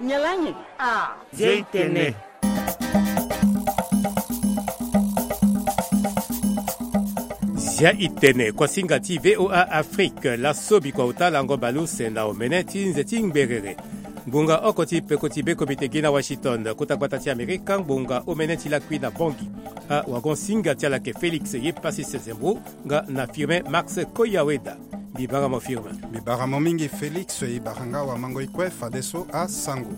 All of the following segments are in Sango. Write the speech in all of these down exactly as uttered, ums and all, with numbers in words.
Nyalangi. Ah. Zia itene. Zia itene, kuasinga ti V O A Afrique, laso bikua ota lango baleuse na omene ti nze ti ngberere. Ngbonga oko ti peko ti be komite gi na Washington, kota gbata ti Amerika, ngbonga omene ti lakui na Bangui. Awagon singa ti ala yeke Félix ye Passis Zembo, nga na Firmin Max Koyaweda. Mbi bara mo Firmin. Mbi bara mo mingi Félix, e bara nga wamango e kue fadeso asango.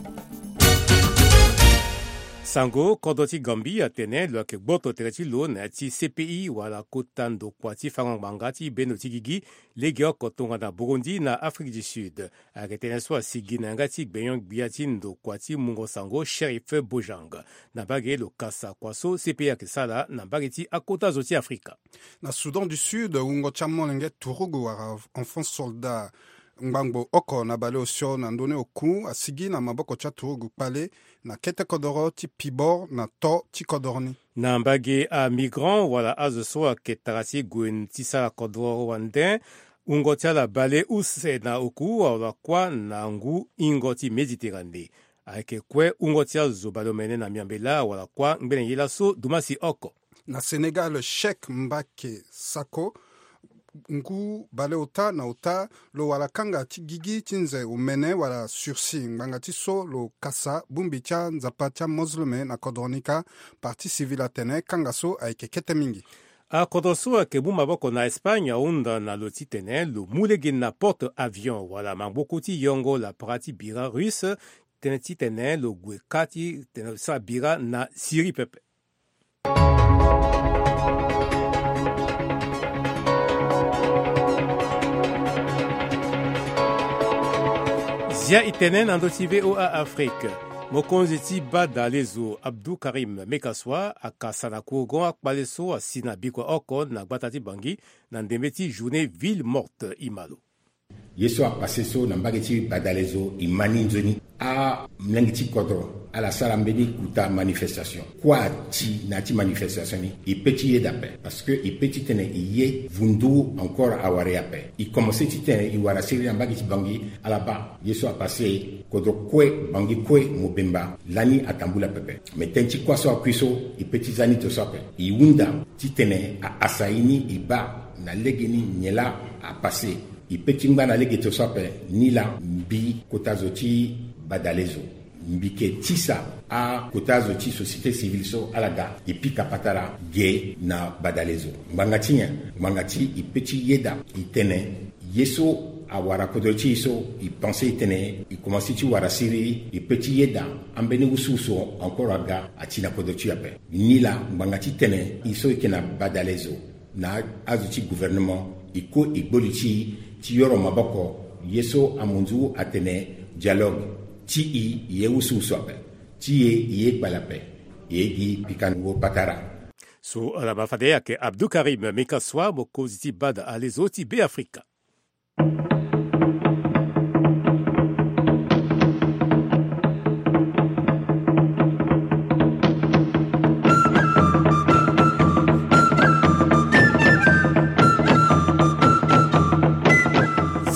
Sango, kodro ti Gambie atene lo yeke gboto tere ti lo na ya ti C P I wala kota ndokua ti fango ngbanga ti bendo ti gigi, legeoko tongana Burundi na Afrique du Sud. Ayeke tënë so asigi na yanga ti gbenyo-gbia ti ndokua ti mungo sango Chérif Bojang. Na mbage lo kasa kua so C P I ayeke sara na mbage ti akota zo ti Afrika. Na Soudan du Sud, wungo ti amolenge turugu wala enfant soldat ngbangbo oko na baleosio na ndö ni oku asigi na maboko ti aturugu kpale na kete kodoro ti Pibor na to ti kodoro ni. Na mbage amigrant wala azo so ayeke tara ti gue ti sara kodoro wande, wungo ti ala bale use na oku wala kuâ na ngu hingo ti Méditerranée. Ayeke kue wungo ti azo baleomene na miambela wala kuâ ngbene ye laso dumasi oko. Na Sénégal, Cheikh Mbaké Sakho, ngu baleota na ota, lo wara kanga ti gigi ti nze omene wala sursis ngbanga ti so lo kasa bongbi ti anzapa ti amosleme na kodro ni kâ. Partie civile atene kanga so ayeke kete mingi. Akodro so ayeke mu maboko na Espagne ahunda na lo titene lo mu lege na porte avion wala mangboku ti yongo lapara ti bira russe, tënë titene lo gue kâ ti tene lo sara bira na Syrie pepe. Zia itene na ndö ti V O A Afrique. Mokonzi ti bada lezo Abdou Karim Mekassoua akasa na kourgon akpale so asi na bikua oko na gbata ti Bangui na ndembe ti journée ville morte. Imalo. Ye so apase so na mbage ti badalezo e ma ni nzoni. Amolenge ti kodro ala sara mbeni kuta manifestation. Kua ti na ya ti manifestation ni e pe ti yeda ape, parce que e pe titene e ye vundu encore awara e ape. E komanse titene e wara siriri na mbage ti Bangui, ala baa ye so apase, kodro kue, Bangui kue, mobemba lani atambula pepe. Me tënë ti kuâ so akui so e pe ti za ni to so ape. E hunda titene a asa e ni e baa na legeni nyen laa apase. E pe ti ngba na lege to so ape ni laa mbi kota zo ti badalezo, mbi yeke tisa akota zo ti société civile so ala ga e pika patara ge na badalezo. Ngbanga ti nyen? Ngbanga ti e pe ti yeda e tene ye so awara kodro ti e so e pense e tene e komanse ti wara siriri, e pe ti yeda ambeni wusuwusu encore aga ati na kodro ti e ape. Ni laa ngbanga titene e so e yeke na badalezo na azo ti gouvernement e ko e gbo li ti e ti yoro maboko. Ye so amunzu atene dialogue ti e e ye wusuwusu ape, ti e e ye kpale ape, e ye gi pikango patara. So ala ma fade ayeke Abdou Karim Mekassoua, mokonzi ti bada alezo ti Beafrika.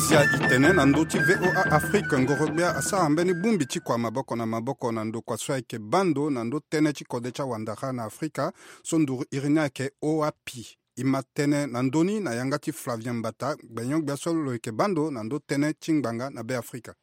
Zia itene na ndö ti V O A Afrique, ngoro-gbia asara mbeni bongbi ti kua maboko na maboko na ndokua so ayeke baa ndo na ndö tënë ti kode ti awandara na Afrika, so nduru iri ni ayeke OAPI. E ma tënë na ndö ni na yanga ti Flavien Mbata, gbenyo-gbia so lo yeke baa ndo na ndö tënë ti ngbanga na Beafrika.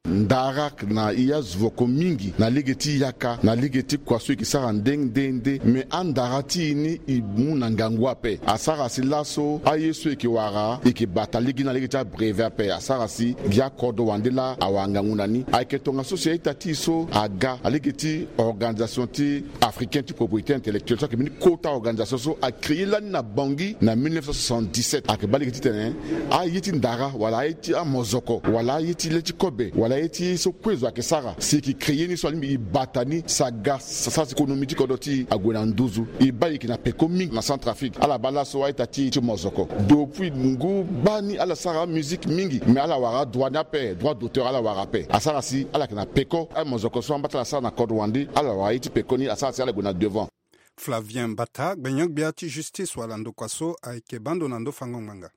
Ndara na e azo oko mingi na lege ti yaka, na lege ti kua so e yeke sara nde nde nde. Me andara ti e ni e mu na ngangu ape. Asara si laso aye so e yeke wara e yeke bata lege ni na lege ti abrevet ape. Asara si gi akodro wande laa awara ngangu na ni. Ayeke tongaso si a-ita ti e so aga na lege ti organisation ti africain ti propriété intellectuelle so ayeke mbeni kota organisation so acréé lani na Bangui na mille neuf cent soixante-dix-sept. Ayeke baa lege titene aye ti ndara wala aye ti amozoko wala aye ti le ti kobe wala aye ti ye so kue zo ayeke sara si e yeke créé ni so alingbi e bata ni si aga sa, sa si économie ti kodro ti e ague na nduzu. E baa e yeke na peko mingi na Centrafrique. Ala baa laso a-ita ti e ti mozoko. Depuis ngu baa ni ala sara amusique mingi, me ala wara adroit ni ape, droit d'auteur ala wara ape. Asara si ala yeke na peko. Amozoko so ambata ala sara na kodro wande, ala wara ye ti peko ni, asara si ala gue na devant. Flavien Mbata, gbenyo-gbia ti justice wala ndokua so ayeke baa ndo na ndö fango ngbanga.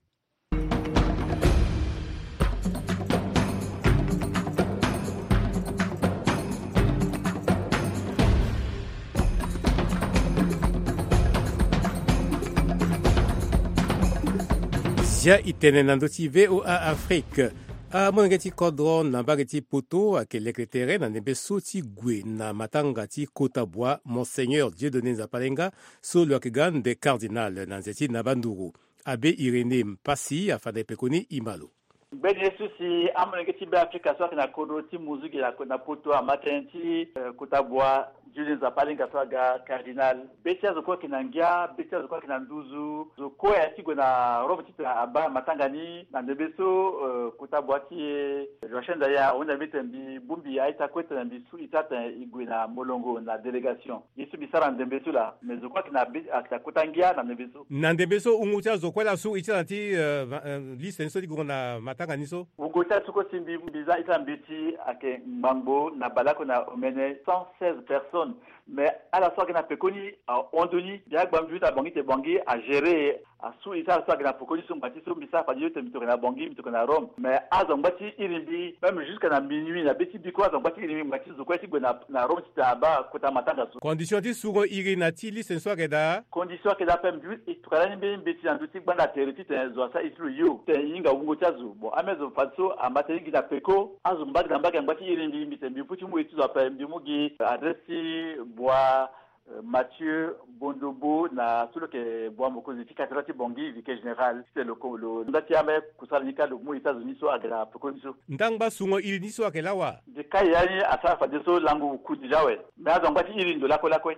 Dia itene na ndö ti VOA Afrique. Amolenge ti kodro na mbage ti poto ayeke leke tere na ndembe so ti gue na matanga ti kota bua Monseigneur Dieudonné Nzapalenga, so lo yeke ga nde cardinal na nze ti Nabanduru. Abe Irénée Mpassi afa na e pekoni e ma lo. Mbeni ye so si amolenge ti Beafrika so ayeke na kodro ti Muzuki na, na poto ama tënë ti, eh, kota bua Dieudonné Nzapalenga so aga cardinal. Be ti azo kue ayeke na ngia, be ti azo kue ayeke na nduzu. Zo kue aye ti gue na Rome titene abaa matanga ni na ndembe so, eh, kota bua ti e, eh, Joachim Ndaya ahunda mbi tene mbi bongbi a-ita kue tene mbi su ita tene e gue na molongo na délégation. Ye so mbi sara na ndembe so laa, me zo kue ayeke na be, ayeke na kota ngia na ndembe so. Na ndembe so, wungo ti azo kue laa asu ita na ti, eh, va-, eh, liste ni so ti gue na matanga ni so. Wungo ti azo kue si mbi, mbi za ita na mbi ti ayeke ngbangbo na baleoko na omene cent seize personnes. Mais ala so ayeke na pekoni ahon ndoni, mbi agba mbi ute na Bangui tene Bangui agéré. Asu ita so ayeke na pekoni so ngba ti so mbi sara fade yo tene mbi toke na Bangui, mbi toke na Rome. Mais azo angba ti iri mbi, même jusqu'à na minuit na be ti biko, azo angba ti iri mbi ngba ti zo kue ti gue na, na Rome titene abaa kota matanga so. Condition ti sungo iri na ti liste ni so ayeke daa? Condition ayeke daa ape, mbi e tokua lani mbeni mbeti na ndö ti gbanda tere titene zo asara iri ti lo yo titene e hinga wungo ti azo. Bon, ambeni azo fadeso ama tënë gi na peko, azo mbage na mbage angba ti iri mbi, mbi tene mbi mu ti mu iri ti zo ape, mbi mu gi adresse ti bua, eh, Mathieu Bondobo na so lo yeke bua mokonzi ti cathédrale ti Bangui, vicaire général, titene lo ko, lo nda ti ambeni kusala ni kâ lo mu iri ti azo ni so ayeke na peko ni so. Ndangba sungo iri ni so ayeke laa wa? Mbi kai ya ni asara fadeso lango oku déjà awe. Mais azo angba ti iri ndo lakue lakue.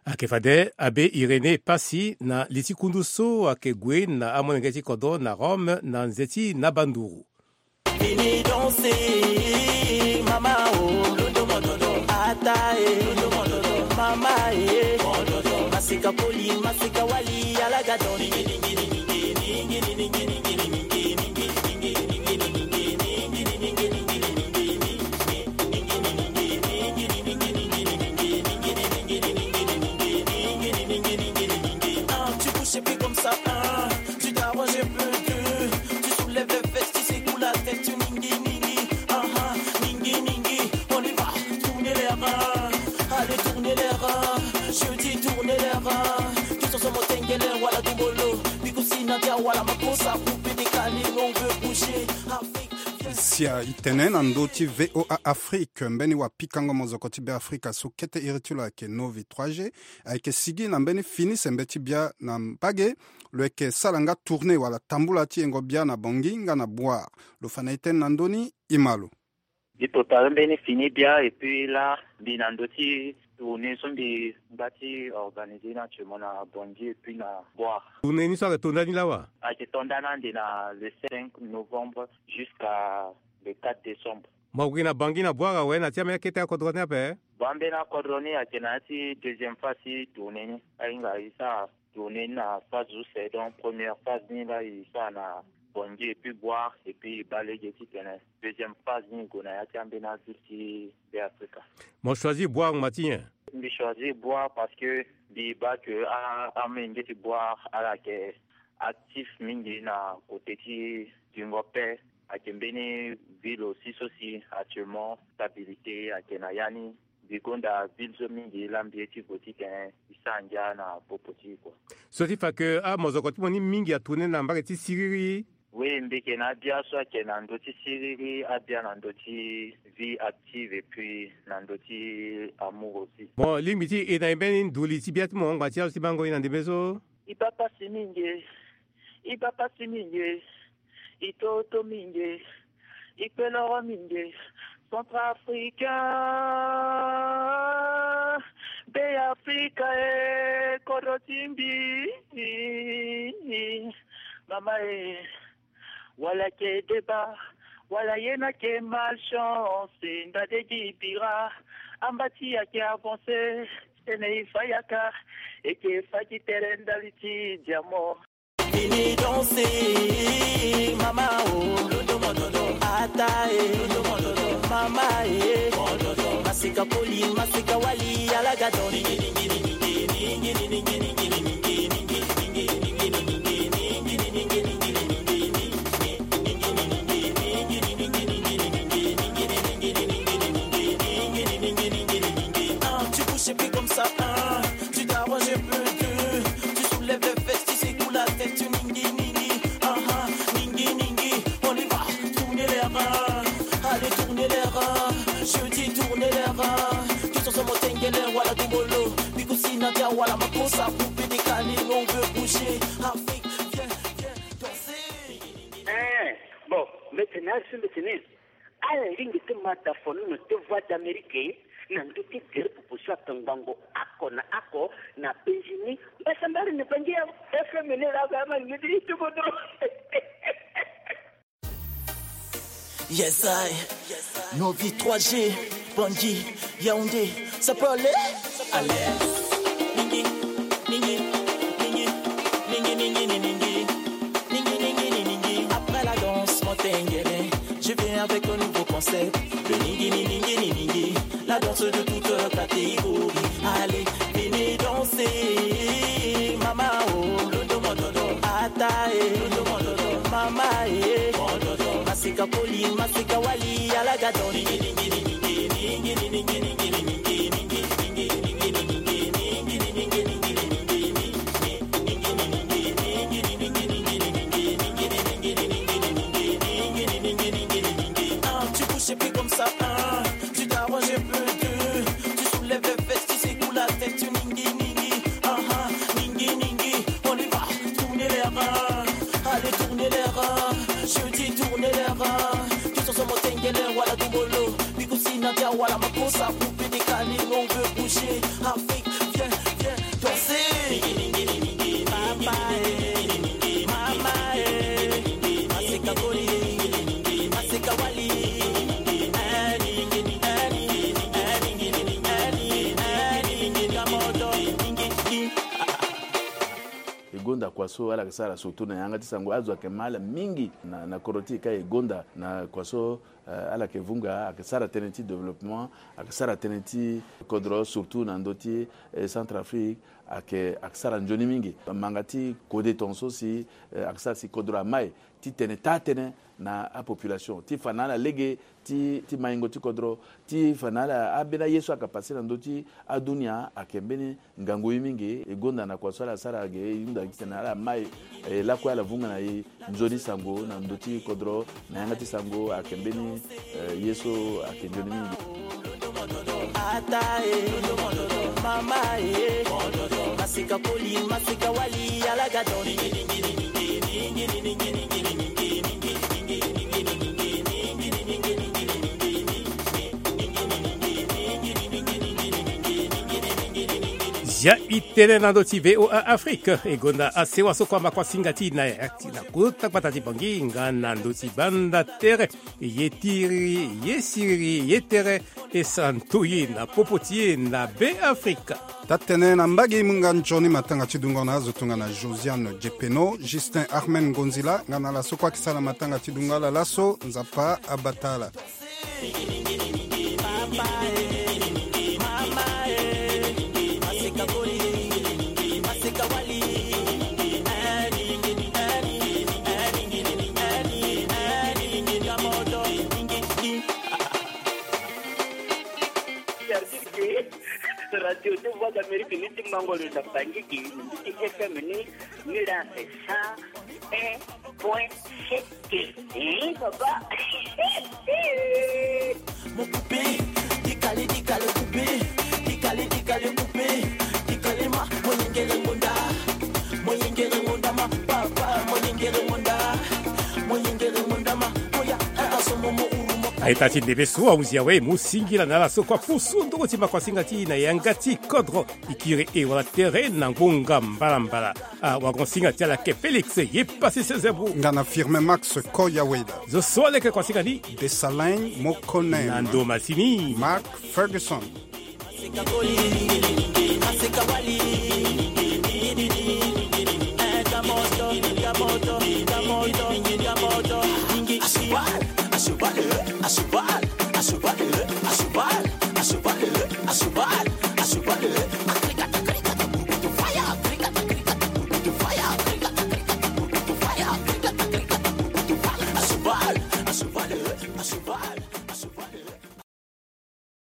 Ayeke fade abe Irénée Mpassi na li ti kundu so ayeke gue na amolenge ti kodro na Rome na nze ti Nabanduru. Vini danse, mama o. Ata e, mama e. Masika koli, masika wali, ala ga don. Ah, tu bouges et puis comme ça, ah, tu t'arranges un peu, tu, tu soulèves les fesses, tu secoues la tête, tu ningi, ningi, ah, ah, ningi, ningi, on y va, tournez les reins, allez, tournez les reins, je dis tournez les reins, tous ensemble, tengele, wala dumbolo, bikusi, nadia, wala makosa, coupe des câlins, on veut bouger, Afrique. Sia itene na ndö ti VOA Afrique, mbeni wapikango mozoko ti Beafrika so kete iri ti lo ayeke Novi trois G, ayeke sigi na mbeni fini sembe ti bia na mbage. Lo yeke sara nga tournée wala tambula ti yengo bia na Bangui nga na Bouar. Lo fa na e tënë na ndö ni, e ma lo. Mbi prépare mbeni fini bia et puis là, mbi na ndö ti tournée so mbi ngba ti organiser ni actuellement na Bangui et puis na Bouar. Tournée ni so ayeke to ndani lawa? Ayeke to ndani ande na le cinq novembre jusqu'à le quatre décembre. Mo gue na Bangui na Bouar awe, na ti ambeni akete akodro ni ape? Bon, ambeni akodro ni ayeke na ya ti deuxième phase ti tournée ni. Ahinga e sara tournée ni na phase use, donc première phase ni laa e sara na Bangui et puis Bouar et puis e baa lege titene deuxième phase ni e gue na ya ti ambeni aville ti Beafrika. Mo choisir Bouar ngba ti nyen? Mbi choisir Bouar parce que mbi baa que a, amolenge ti Bouar ala yeke actif mingi na côté ti duingo paix. Ayeke mbeni ville aussi so si actuellement stabilité ayeke na ya ni. Mbi gonda ville so mingi laa mbi ye ti gue titene e sara ngia na popo ti e kua. So ti fa que amozoko ti mo ni mingi atourner na mbage ti siriri. Oui, mbi yeke na abia so ayeke na ndö ti siriri, abia na ndö ti vie active et puis na ndö ti amour aussi. Bon, lingbi ti e na e mbeni nduli ti bia ti mo hongba ti azo ti bango e na ndembe so? E baa pasi mingi e. E baa pasi mingi e. E toto mingi e. E kpe loro mingi e. Centrafricain, Beafrika e, kodro ti mbi. Mama e, wala ayeke débat, wala ye ni ayeke malchance, ndade gi bira, amba ti e ayeke avancer, tene e fa yaka, e yeke fa gi tere ndali ti diamant. Vini danse, mama o. Ata e, mama e. Masika koli, masika wali, ala ga don. Ah, tu bouges et puis comme ça, ah, tu t'arranges un peu, tu, tu soulèves les fesses, tu secoues la tête, tu ningi, ningi, ah, Asimbe tene ala lingbi ti ma da fonono ti Voix d'Amérique na ndö ti gere proposition ake ngbangbo oko na oko na Benjini. Mbasambari na Bangui ya F M ni la ga ma lingbi ti tubo do. Yes I. Novi trois G, Bangui, Yaoundé, ça peut aller. Allez. Ningi, ningi, ningi, ningi, ningi, ningi, ningi. Ningi, ningi, ningi, ningi. Après la danse, mon tengele, je viens avec un nouveau concept. Le ningi, ningi, ningi, ningi. La danse de toute catégorie. Allez, venez danser. Mama oh, londo mododo. Ata eh, londo mododo. Mama eh, mododo. Masika koli, masika wali, ala ga don. Ningi, ningi, ningi, ningi, ningi, ningi, ningi. Ah, tu bouges et puis comme ça, hein, tu t'arranges un peu, tu, tu soulèves les fesses, tu secoues la tête, tu ningi, ningi, ah, ah, ningi, ningi, on y va, tournez les reins, allez, tournez les reins, je dis tournez les reins, tous ensemble, tengele, wala dubolo, bikusi, nadia, wala makosa, poupée décalée, on veut bouger, Afrique, viens, viens danser. Papa eh, mama eh, masika koli, masika wali. E gonda kua so ala yeke sara surtout na yanga ti sango, azo ayeke ma ala mingi na, na kodro ti e ka e gonda na kua so. Eh, ala yeke vunga, ayeke sara tënë ti développement, ayeke sara tënë ti kodro, surtout na ndö ti, eh, Centrafrique, ayeke, ayeke sara nzoni mingi. Manga ti kode tongaso si, eh, ayeke sara si kodro amai ti tene taa-tënë na apopulation, ti fa na ala lege ti, ti maingo ti kodro, ti fa na ala, ambeni aye so ayeke pase na ndö ti adunia, ayeke mbeni ngangu ye mingi. E gonda na kua so ala sara ge, e hunda gi titene ala mai, eh, lakue ala vunga na e nzoni sango na ndö ti kodro, na yanga ti sango ayeke mbeni, eh, ye so ayeke nzoni mingi. Ata eh, mama eh, masika koli, masika wali, ala ga don. Zia i tene na ndö ti V O A Afrique, e gonda asewa so kue amakuasinga ti na ya ti na kota gbata ti Bangui nga na ndö ti banda tere, ye tiri, ye siriri, ye tere, e santo ye na popo ti ye na Beafrika. Taa-tënë na mbage munga nzoni matanga ti dungo na azo tongana Josiane Djepeno, Justin Armen Ngonzila, nga na ala so kue ayeke sara matanga ti dungo ala laso, Nzapa abata ala. Radio ti Voix d'Amérique ni ti mango lo na Bangui, ni ti F M ni, ni la c'est cent un point sept. Eh, papa. Mon poupée, décalé, décalé, poupée, décalé, décalé, poupée, décalé, ma, mon yengele monda, mon yengele monda, ma, papa, mon yengele monda, mon yengele monda, ma, oya, ata so mo, mo uru, mo. Aita ti ndebe so ahuzi awe, mu singila na ala so kue apusu ndongo ti makuasinga ti na yanga ti kodro, ikiri e wala tere na ngonga mbalambala. Ah, wagonsinga ti ala ke Félix ye pasi sezebou. Nga na Firmin Max Koyaweda. Zo so aleke kuasinga ni. Desalin Mokonen. Na ndo masini. Mark Ferguson.